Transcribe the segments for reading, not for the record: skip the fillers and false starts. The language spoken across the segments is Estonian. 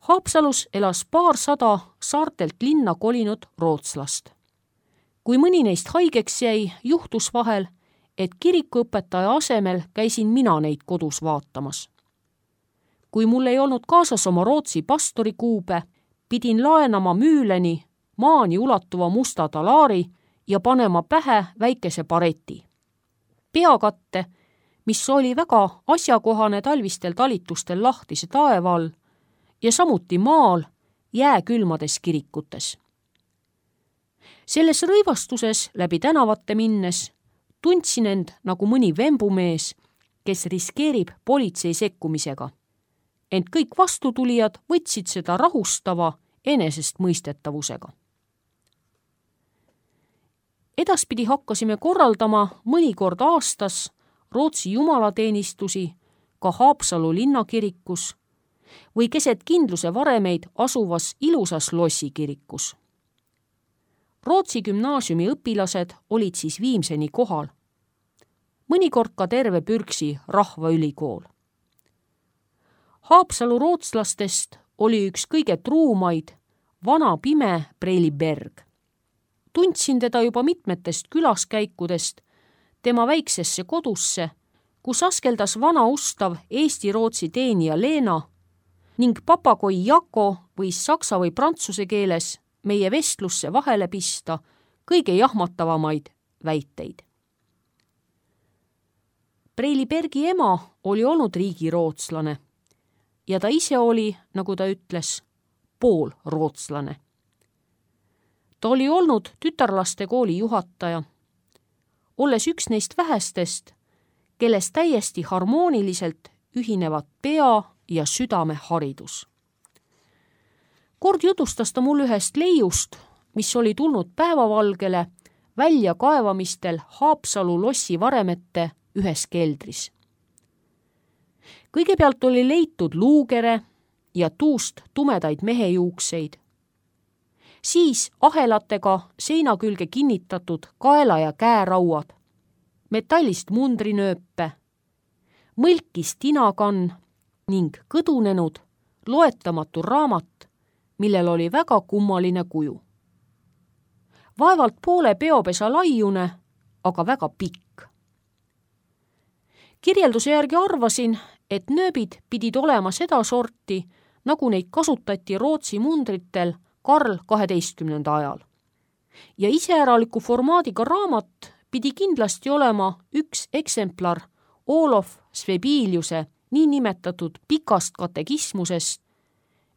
Haapsalus elas paarsada saartelt linna kolinud rootslast. Kui mõni neist haigeks jäi, juhtus vahel, et kirikuõpetaja asemel käisin mina neid kodus vaatamas. Kui mul ei olnud kaasas oma Rootsi pastori kuube, pidin laenama Müüleni maani ulatuva musta talaari ja panema pähe väikese bareti. Peakatte, mis oli väga asjakohane talvistel talitustel lahtise taeva all ja samuti maal jääkülmades kirikutes. Selles rõivastuses läbi tänavate minnes tundsin end nagu mõni vembumees, kes riskeerib politsei sekkumisega. Ent kõik vastutulijad võtsid seda rahustava enesestmõistetavusega. Edaspidi hakkasime korraldama mõnikord aastas Rootsi jumalateenistusi ka Haapsalu linnakirikus või keset kindluse varemeid asuvas ilusas lossikirikus. Rootsi gümnaasiumi õpilased olid siis viimseni kohal. Mõnikord ka terve Pürksi rahvaülikool. Haapsalu rootslastest oli üks kõige truumaid, vana pime Preili Berg. Tundsin teda juba mitmetest külaskäikudest tema väiksesse kodusse, kus askeldas vana ustav Eesti-Rootsi teenija Leena ning papagoi Jako võis saksa või prantsuse keeles meie vestlusse vahele pista kõige jahmatavamaid väiteid. Preili Bergi ema oli olnud riigirootslane ja ta ise oli, nagu ta ütles, poolrootslane. Ta oli olnud tütarlaste kooli juhataja, olles üks neist vähestest, kelles täiesti harmooniliselt ühinevad pea- ja südameharidus. Kord jutustas ta mul ühest leiust, mis oli tulnud päevavalgele väljakaevamistel Haapsalu lossi varemete ühes keldris. Kõigepealt oli leitud luukere ja tuust tumedaid mehejuukseid. Siis ahelatega seina külge kinnitatud kaela- ja käerauad, metallist mundrinööpe, mõlkis tinakann ning kõdunenud loetamatu raamat, millel oli väga kummaline kuju. Vaevalt poole peopesa laiune, aga väga pikk. Kirjelduse järgi arvasin, et nööbid pidid olema seda sorti, nagu neid kasutati Rootsi mundritel Karl 12. ajal. Ja iseäraliku formaadiga raamat pidi kindlasti olema üks eksemplar Olof Svebiliuse niinimetatud pikast katekismusest,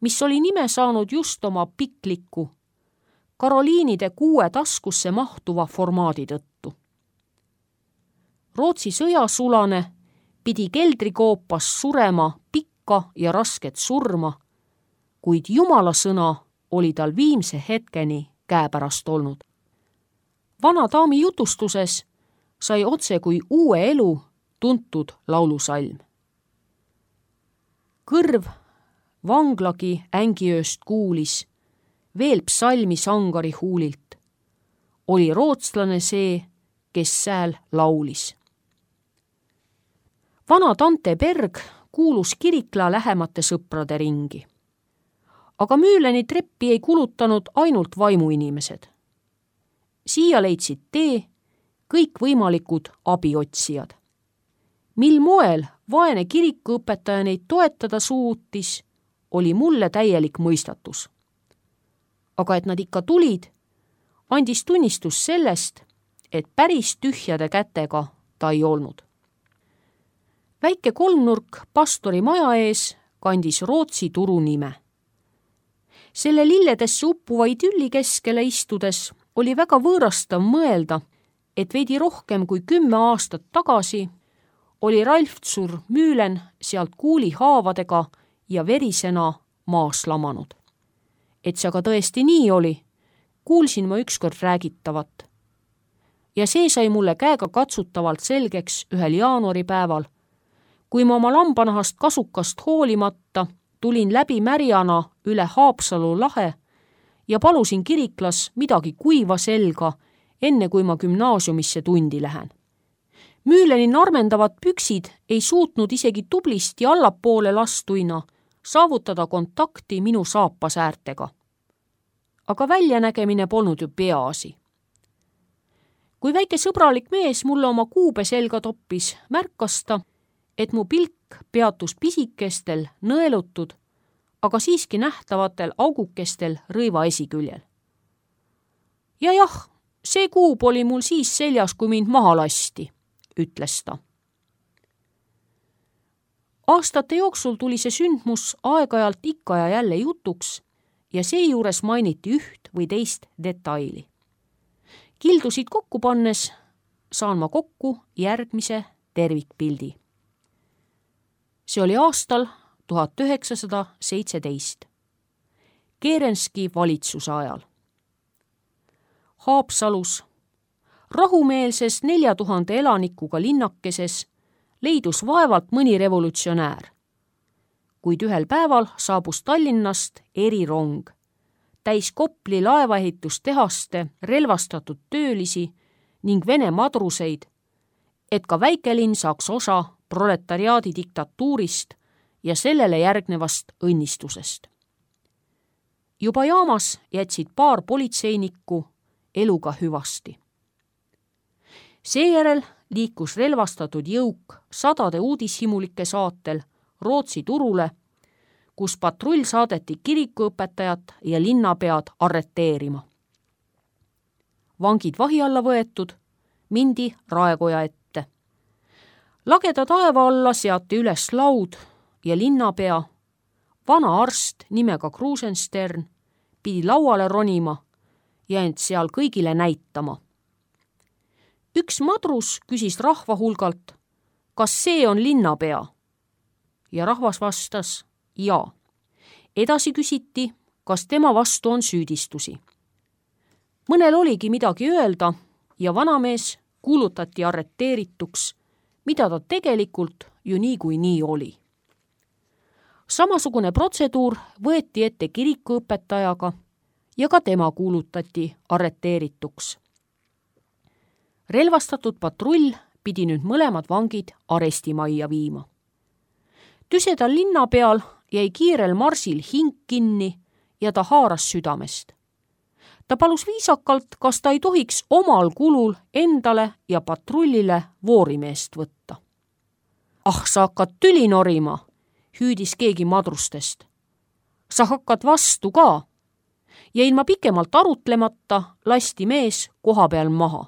mis oli nime saanud just oma pikliku, Karoliinide 6 taskusse mahtuva formaadi tõttu. Rootsi sõjasulane pidi keldrikoopas surema pikka ja rasket surma, kuid Jumala sõna oli tal viimse hetkeni käepärast olnud. Vana daami jutustuses sai otse kui uue elu tuntud laulusalm. Kõrv vanglagi ängiööst kuulis, veel psalmi sangari huulilt. Oli rootslane see, kes sääl laulis. Vana tante Berg kuulus Kirikla lähemate sõprade ringi. Aga Müüleni treppi ei kulutanud ainult vaimuinimesed. Siia leidsid tee kõikvõimalikud abiotsijad. Mil moel vaene kirikuõpetaja neid toetada suutis, oli mulle täielik mõistatus. Aga et nad ikka tulid, andis tunnistus sellest, et päris tühjade kätega ta ei olnud. Väike kolmnurk pastori maja ees kandis Rootsi turu nime. Selle lilledesse uppuva idülli keskele istudes oli väga võõrastav mõelda, et veidi rohkem kui 10 aastat tagasi oli Ralftsur Müülen sealt kuulihaavadega ja verisena maas lamanud. Et see aga tõesti nii oli, kuulsin ma ükskord räägitavat. Ja see sai mulle käega katsutavalt selgeks ühel jaanuaripäeval, kui ma oma lambanahast kasukast hoolimata tulin läbi märjana üle Haapsalu lahe ja palusin Kiriklas midagi kuiva selga, enne kui ma gümnaasiumisse tundi lähen. Müüleni narmendavad püksid ei suutnud isegi tublisti allapoole lastuina saavutada kontakti minu saapasäärtega. Aga väljanägemine polnud ju peaasi. Kui väike sõbralik mees mulle oma kuube selga toppis, märkas ta, et mu pilk peatus pisikestel, nõelutud, aga siiski nähtavatel augukestel rõiva esiküljel. Ja jah, see kuub oli mul siis seljas, kui mind maha lasti, ütles ta. Aastate jooksul tuli see sündmus aeg-ajalt ikka ja jälle jutuks ja seejuures mainiti üht või teist detaili. Kildusid kokku pannes saan ma kokku järgmise tervikpildi. See oli aastal 1917, Kerenski valitsuse ajal. Haapsalus, rahumeelses 4000 elanikuga linnakeses leidus vaevalt mõni revolutsionäär, kuid ühel päeval saabus Tallinnast erirong, täis Kopli laevaehitustehaste relvastatud töölisi ning Vene madruseid, et ka väikelinn saaks osa proletariaadi diktatuurist ja sellele järgnevast õnnistusest. Juba jaamas jätsid paar politseinikku eluga hüvasti. Seejärel liikus relvastatud jõuk 100 uudishimulike saatel Rootsi turule, kus patrull saadeti kirikuõpetajat ja linnapead arreteerima. Vangid vahi alla võetud, mindi raekoja ette. Lageda taeva alla seati üles laud ja linnapea, vana arst nimega Krusenstern, pidi lauale ronima ja end seal kõigile näitama. Üks madrus küsis rahva hulgalt, kas see on linnapea? Ja rahvas vastas, jaa. Edasi küsiti, kas tema vastu on süüdistusi. Mõnel oligi midagi öelda ja vanamees kuulutati arreteerituks, mida ta tegelikult ju niikuinii oli. Samasugune protseduur võeti ette kirikuõpetajaga ja ka tema kuulutati arreteerituks. Relvastatud patrull pidi nüüd mõlemad vangid arestimajja viima. Tüsedal linna peal jäi kiirel marsil hing kinni ja ta haaras südamest. Ta palus viisakalt, kas ta ei tohiks omal kulul endale ja patrullile voorimeest võtta. Ah, sa hakkad tüli norima, hüüdis keegi madrustest. Sa hakkad vastu ka. Ja ilma pikemalt arutlemata lasti mees koha peal maha.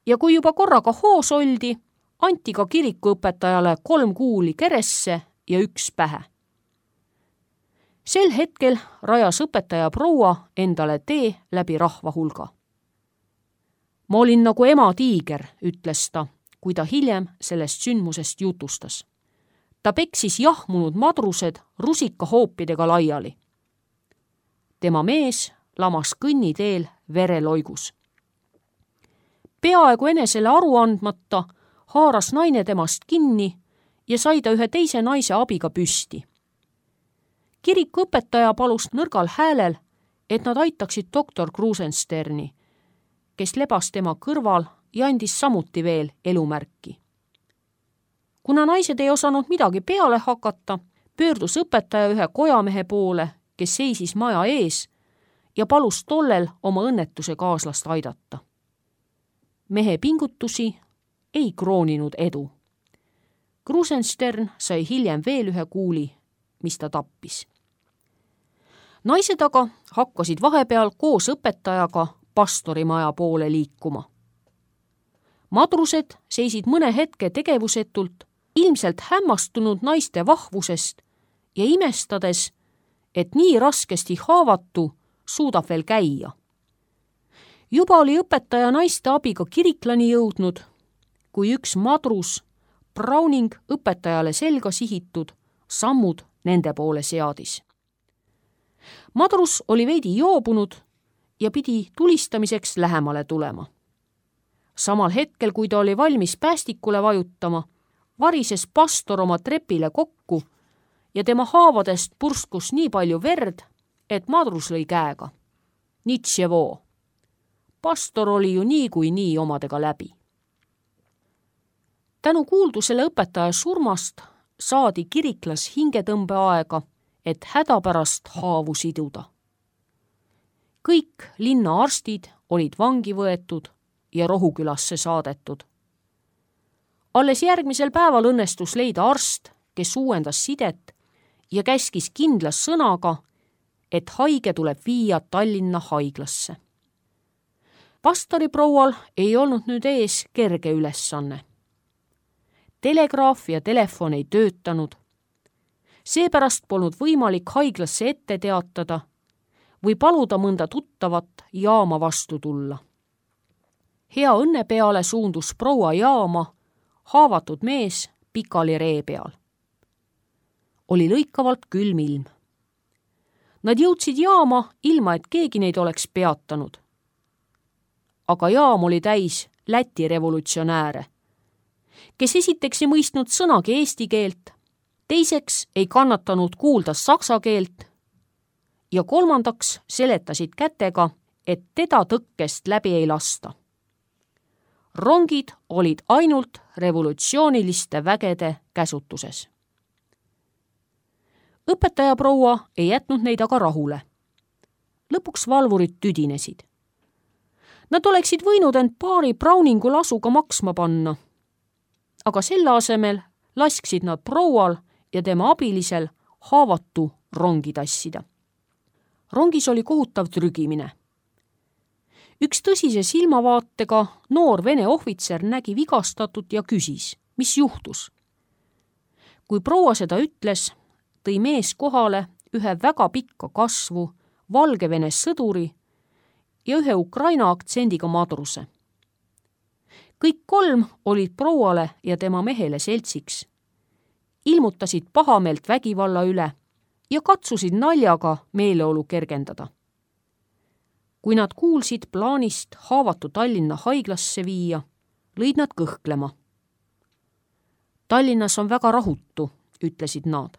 Ja kui juba korraga hoos oldi, anti ka kirikuõpetajale 3 kuuli keresse ja 1 pähe. Sel hetkel rajas õpetaja proua endale tee läbi rahva hulga. Ma olin nagu ema tiiger, ütles ta, kui ta hiljem sellest sündmusest jutustas. Ta peksis jahmunud madrused rusikahoopidega laiali. Tema mees lamas kõnniteel vereloigus. Peaaegu enesele aru andmata haaras naine temast kinni ja sai ta ühe teise naise abiga püsti. Kirikuõpetaja palus nõrgal häälel, et nad aitaksid doktor Krusensterni, kes lebas tema kõrval ja andis samuti veel elumärki. Kuna naised ei osanud midagi peale hakata, pöördus õpetaja ühe kojamehe poole, kes seisis maja ees ja palus tollel oma õnnetuse kaaslast aidata. Mehe pingutusi ei krooninud edu. Krusenstern sai hiljem veel 1 kuuli, mis ta tappis. Naised aga hakkasid vahepeal koos õpetajaga pastorimaja poole liikuma. Madrused seisid mõne hetke tegevusetult, ilmselt hämmastunud naiste vahvusest ja imestades, et nii raskesti haavatu suudab veel käia. Juba oli õpetaja naiste abiga kiriklani jõudnud, kui üks madrus, Browning õpetajale selga sihitud, sammud nende poole seadis. Madrus oli veidi joobunud ja pidi tulistamiseks lähemale tulema. Samal hetkel, kui ta oli valmis päästikule vajutama, varises pastor oma trepile kokku ja tema haavadest purskus nii palju verd, et madrus lõi käega. Nitševo. Pastor oli ju niikuinii omadega läbi. Tänu kuuldusele õpetaja surmast saadi Kiriklas hingetõmbeaega, et hädapärast haavu siduda. Kõik linna arstid olid vangi võetud ja Rohukülasse saadetud. Alles järgmisel päeval õnnestus leida arst, kes uuendas sidet ja käskis kindlas sõnaga, et haige tuleb viia Tallinna haiglasse. Pastori proual ei olnud nüüd ees kerge ülesanne. Telegraaf ja telefon ei töötanud. Seepärast polnud võimalik haiglasse ette teatada või paluda mõnda tuttavat jaama vastu tulla. Hea õnne peale suundus proua jaama haavatud mees pikali ree peal. Oli lõikavalt külm ilm. Nad jõudsid jaama ilma, et keegi neid oleks peatanud. Aga jaam oli täis Läti revolutsionääre, kes esiteks ei mõistnud sõnagi eesti keelt, teiseks ei kannatanud kuulda saksa keelt ja kolmandaks seletasid kätega, et teda tõkkest läbi ei lasta. Rongid olid ainult revolutsiooniliste vägede käsutuses. Õpetaja proua ei jätnud neid aga rahule. Lõpuks valvurid tüdinesid. Nad oleksid võinud end paari Browningu lasuga maksma panna, aga selle asemel lasksid nad proual ja tema abilisel haavatu rongi tassida. Rongis oli kohutav trügimine. Üks tõsise silmavaatega noor vene ohvitser nägi vigastatut ja küsis, mis juhtus. Kui proua seda ütles, tõi mees kohale ühe väga pikka kasvu, Valgevene sõduri ja ühe Ukraina aktsendiga madruse. Kõik kolm olid prouale ja tema mehele seltsiks, ilmutasid pahameelt vägivalla üle ja katsusid naljaga meeleolu kergendada. Kui nad kuulsid plaanist haavatu Tallinna haiglasse viia, lõid nad kõhklema. Tallinnas on väga rahutu, ütlesid nad.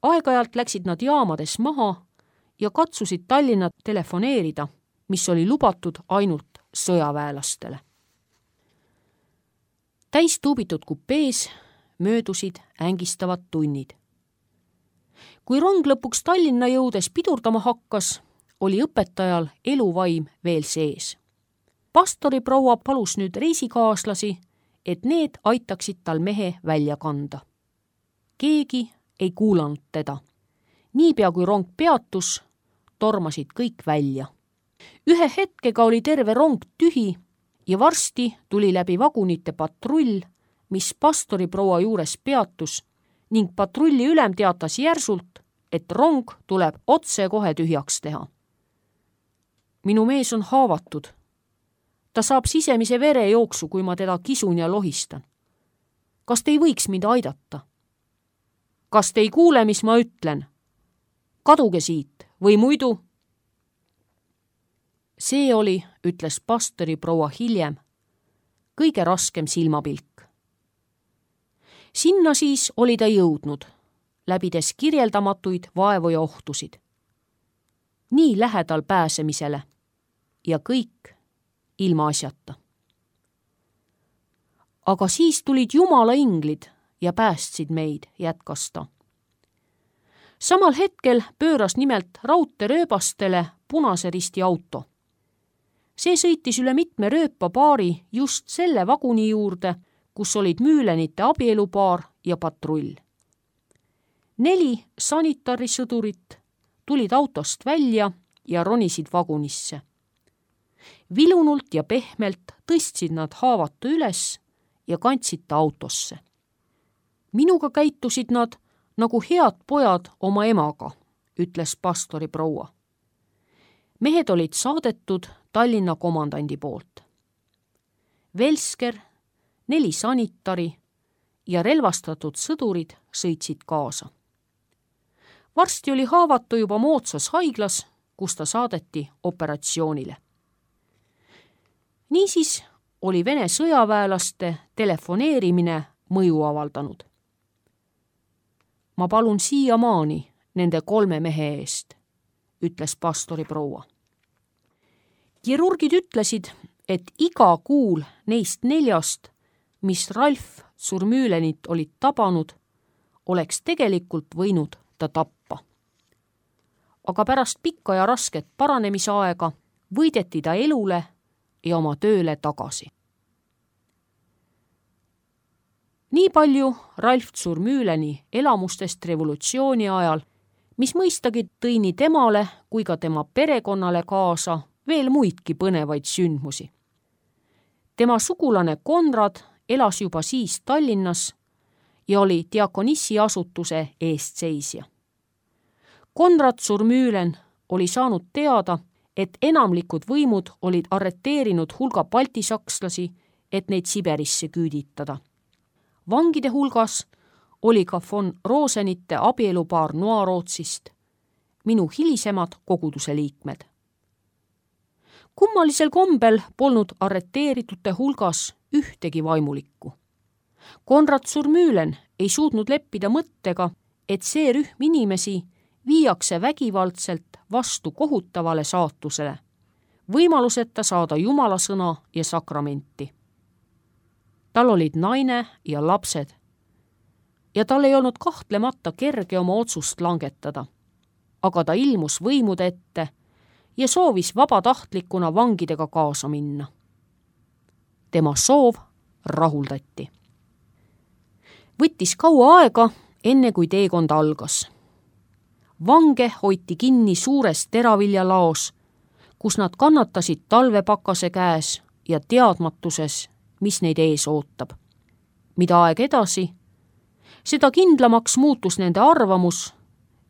Aeg-ajalt läksid nad jaamades maha ja katsusid Tallinna telefoneerida, mis oli lubatud ainult sõjaväelastele. Täistuubitud kupees möödusid ängistavad tunnid. Kui rong lõpuks Tallinna jõudes pidurdama hakkas, oli õpetajal eluvaim veel sees. Pastori proua palus nüüd reisikaaslasi, et need aitaksid tal mehe välja kanda. Keegi ei kuulanud teda. Niipea kui rong peatus, tormasid kõik välja. Ühe hetkega oli terve rong tühi ja varsti tuli läbi vagunite patrull, mis pastori proua juures peatus ning patrulli ülem teatas järsult, et rong tuleb otse kohe tühjaks teha. Minu mees on haavatud. Ta saab sisemise verejooksu, kui ma teda kisun ja lohistan. Kas te ei võiks mind aidata? Kas te ei kuule, mis ma ütlen? Kaduge siit või muidu? See oli, ütles pastori proua hiljem, kõige raskem silmapilk. Sinna siis oli ta jõudnud, läbides kirjeldamatuid vaevu ja ohtusid. Nii lähedal pääsemisele ja kõik ilma asjata. Aga siis tulid Jumala inglid ja päästsid meid, jätkas ta. Samal hetkel pööras nimelt raudteerööbastele Punase Risti auto. See sõitis üle mitme rööpapaari just selle vaguni juurde, kus olid Müülenite abielupaar ja patrull. 4 sanitarisõdurit tulid autost välja ja ronisid vagunisse. Vilunult ja pehmelt tõstsid nad haavatu üles ja kandsid ta autosse. Minuga käitusid nad nagu head pojad oma emaga, ütles pastori proua. Mehed olid saadetud Tallinna komandandi poolt. Velsker, 4 sanitari ja relvastatud sõdurid sõitsid kaasa. Varsti oli haavatu juba moodsas haiglas, kus ta saadeti operatsioonile. Niisiis oli Vene sõjaväelaste telefoneerimine mõju avaldanud. Ma palun siiamaani nende 3 mehe eest, ütles pastori proua. Kirurgid ütlesid, et iga kuul neist 4, mis Ralf Surmüülenit olid tabanud, oleks tegelikult võinud ta tappa. Aga pärast pikka ja rasket paranemisaega võideti ta elule ja oma tööle tagasi. Nii palju Ralf Zurmühleni elamustest revolutsiooni ajal, mis mõistagi tõi nii temale kui ka tema perekonnale kaasa veel muidki põnevaid sündmusi. Tema sugulane Konrad elas juba siis Tallinnas ja oli Diakonissi asutuse eestseisja. Konrad Zurmühlen oli saanud teada, et enamlikud võimud olid arreteerinud hulga baltisakslasi, et neid Siberisse küüditada. Vangide hulgas oli ka von Rosenite abielupaar Noarootsist, minu hilisemad koguduse liikmed. Kummalisel kombel polnud arreteeritute hulgas ühtegi vaimulikku. Konrad Zurmühlen ei suutnud leppida mõttega, et see rühm inimesi viiakse vägivaldselt vastu kohutavale saatusele, võimaluseta saada Jumala sõna ja sakramenti. Tal olid naine ja lapsed ja tal ei olnud kahtlemata kerge oma otsust langetada, aga ta ilmus võimude ette ja soovis vabatahtlikuna vangidega kaasa minna. Tema soov rahuldati. Võttis kaua aega, enne kui teekond algas. Vange hoiti kinni suures teraviljalaos, kus nad kannatasid talvepakase käes ja teadmatuses, mis neid ees ootab. Mida aeg edasi, seda kindlamaks muutus nende arvamus,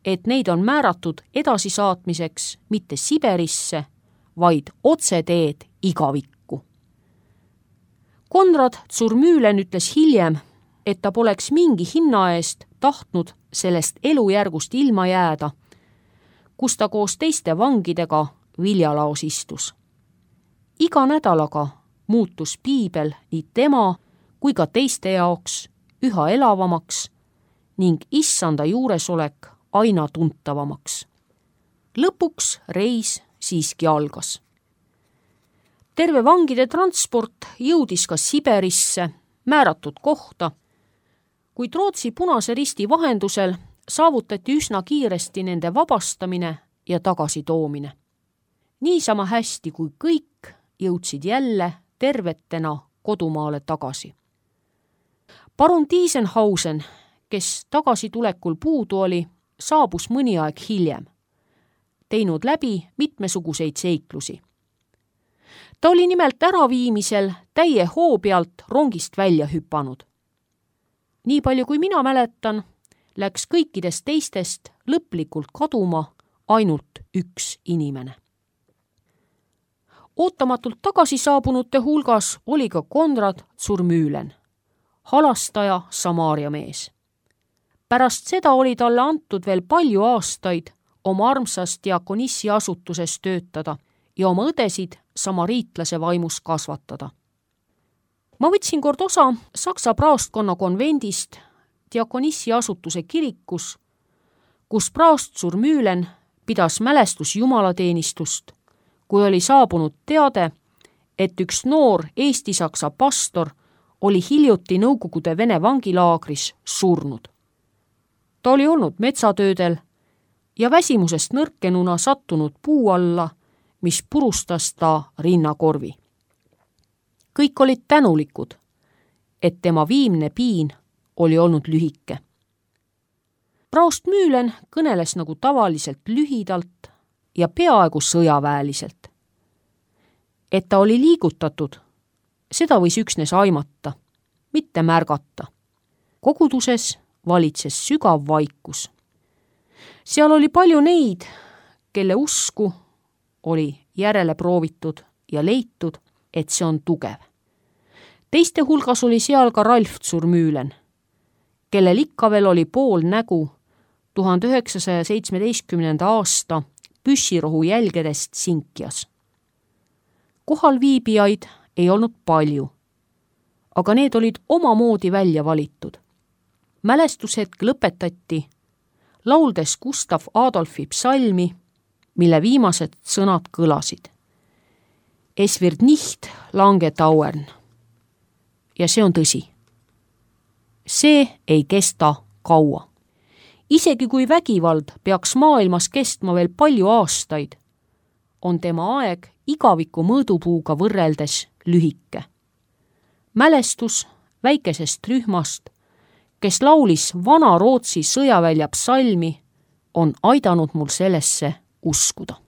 et neid on määratud edasisaatmiseks mitte Siberisse, vaid otseteed igavikku. Konrad Zurmühlen ütles hiljem, et ta poleks mingi hinna eest tahtnud sellest elujärgust ilma jääda, kus ta koos teiste vangidega viljalaos istus. Iga nädalaga muutus piibel nii tema kui ka teiste jaoks üha elavamaks ning issanda juuresolek aina tuntavamaks. Lõpuks reis siiski algas. Terve vangide transport jõudis ka Siberisse määratud kohta, kuid Rootsi Punase Risti vahendusel saavutati üsna kiiresti nende vabastamine ja tagasitoomine. Niisama hästi kui kõik jõudsid jälle tervetena kodumaale tagasi. Parun Tiesenhausen, kes tagasitulekul puudu oli, saabus mõni aeg hiljem, teinud läbi mitmesuguseid seiklusi. Ta oli nimelt äraviimisel täie hoo pealt rongist välja hüpanud. Nii palju kui mina mäletan, läks kõikidest teistest lõplikult kaduma ainult üks inimene. Ootamatult tagasi saabunute hulgas oli ka Konrad Zurmühlen, halastaja Samaaria mees. Pärast seda oli talle antud veel palju aastaid oma armsas Diakonissi asutuses töötada ja oma õdesid samariitlase vaimus kasvatada. Ma võtsin kord osa Saksa praostkonna konvendist Diakonissi asutuse kirikus, kus praost Zurmühlen pidas mälestus jumalateenistust, kui oli saabunud teade, et üks noor eesti-saksa pastor oli hiljuti Nõukogude Vene vangilaagris surnud. Ta oli olnud metsatöödel ja väsimusest nõrkenuna sattunud puu alla, mis purustas ta rinnakorvi. Kõik olid tänulikud, et tema viimne piin oli olnud lühike. Praost Mühlen kõneles nagu tavaliselt lühidalt ja peaaegu sõjaväeliselt. Et ta oli liigutatud, seda võis üksnes aimata, mitte märgata. Koguduses valitses sügav vaikus. Seal oli palju neid, kelle usku oli järele proovitud ja leitud, et see on tugev. Teiste hulgas oli seal ka Ralf Zurmühlen, kellel ikka veel oli pool nägu 1917. aasta püssirohu jälgedest Sinkjas. Kohalviibijaid ei olnud palju, aga need olid omamoodi välja valitud. Mälestushetk lõpetati lauldes Gustav Adolfi psalmi, mille viimased sõnad kõlasid. Es wird nicht lange dauern. Ja see on tõsi. See ei kesta kaua. Isegi kui vägivald peaks maailmas kestma veel palju aastaid, on tema aeg igaviku mõõdupuuga võrreldes lühike. Mälestus väikesest rühmast, kes laulis vana Rootsi sõjavälja psalmi, on aidanud mul sellesse uskuda.